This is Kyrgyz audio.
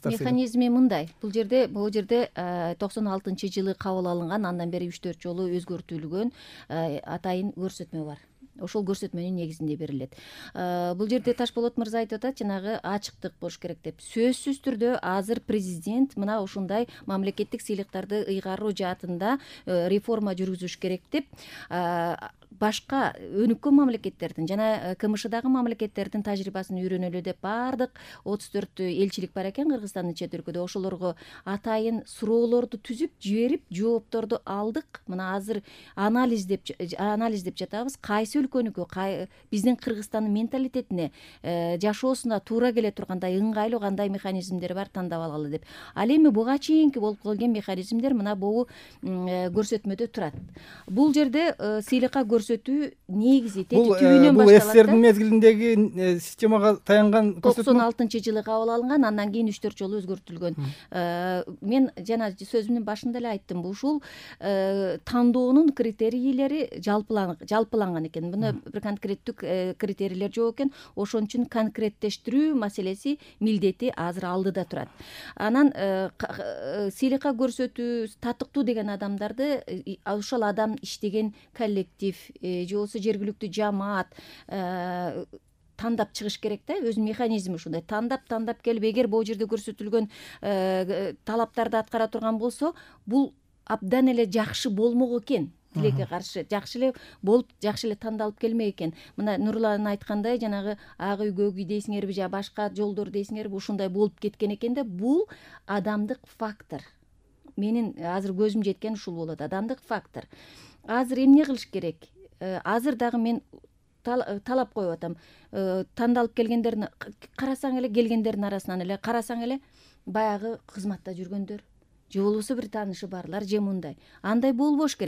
Механизми мындай. Бул жерде 96-жылы кабыл алынган, андан бери 3-4 жолу өзгөртүлгөн атайын көрсөтмө бар. Ошол көрсөтмөнүн негизинде берилет. Бул жерде Ташболот мырза айтып атат, жанагы ачыктык болуш керек деп. Сөзсүз түрдө азыр президент мына ушундай мамлекеттик сыйлыктарды ыйгаруу жаатында реформа жүргүзүш керек деп башка өнүккөн мамлекеттердин жана КМШдагы мамлекеттердин тажрыйбасын үйрөнөлү деп баардык 34 элчилик бар экен Кыргызстандын чет өлкөдө. Ошолорго атайын суроолорду түзүп жиберип, жоопторду алдык. Мына азыр анализ деп жатабыз. Кайсы өлкөнүкү, биздин Кыргызстандын менталитетине, жашоосуна туура келе тургандай ыңгайлуу кандай механизмдер бар, тандап алалы деп. Ал эми буга чейинки болуп келген механизмдер мына бул көрсөтмөдө турат. Бул жерде сыйлыкка көрсөтүү негизи түбүнөн башталат. Бул СССРдин мезгилиндеги системага таянган көрсөтмө. 96-жылы кабыл алынган, андан кийин 3-4 жолу өзгөртүлгөн. Мен жана сөзүмдүн башында эле айттым, ушул тандоонун критерийлери жалпыланган экен. Мына бир конкреттүү критерийлер жок экен. Ошон үчүн конкреттештирүү маселеси, милдети азыр алдыда турат. Анан сыйлыкка көрсөтүү, татыктуу деген адамдарды ошол адам иштеген коллектив же болбосо жергиликтүү жамаат тандап чыгыш керек да. Өзүнүн механизми ушундай. Тандап келип, эгер бул жерде көрсөтүлгөн талаптарды аткара турган болсо, бул абдан эле жакшы болмок экен. Тилекке каршы жакшы эле болуп, жакшы эле тандалып келмек экен. Мына Нурлан айткандай, жанагы ак үй, көк үй дейсиңерби, же башка жолдор дейсиңерби, ушундай болуп кеткен экен да. Бул адамдык фактор. Менин азыр көзүм жеткен ушул болот, адамдык фактор. Азыр эмне кылыш керек? Азыр дагы мен талап коюп атам. Тандалып келгендерин карасаң эле, келгендердин арасынан эле карасаң эле баягы кызматта жүргөндөр, же болбосо бир таанышы барлар, же мындай. Андай болбош керек.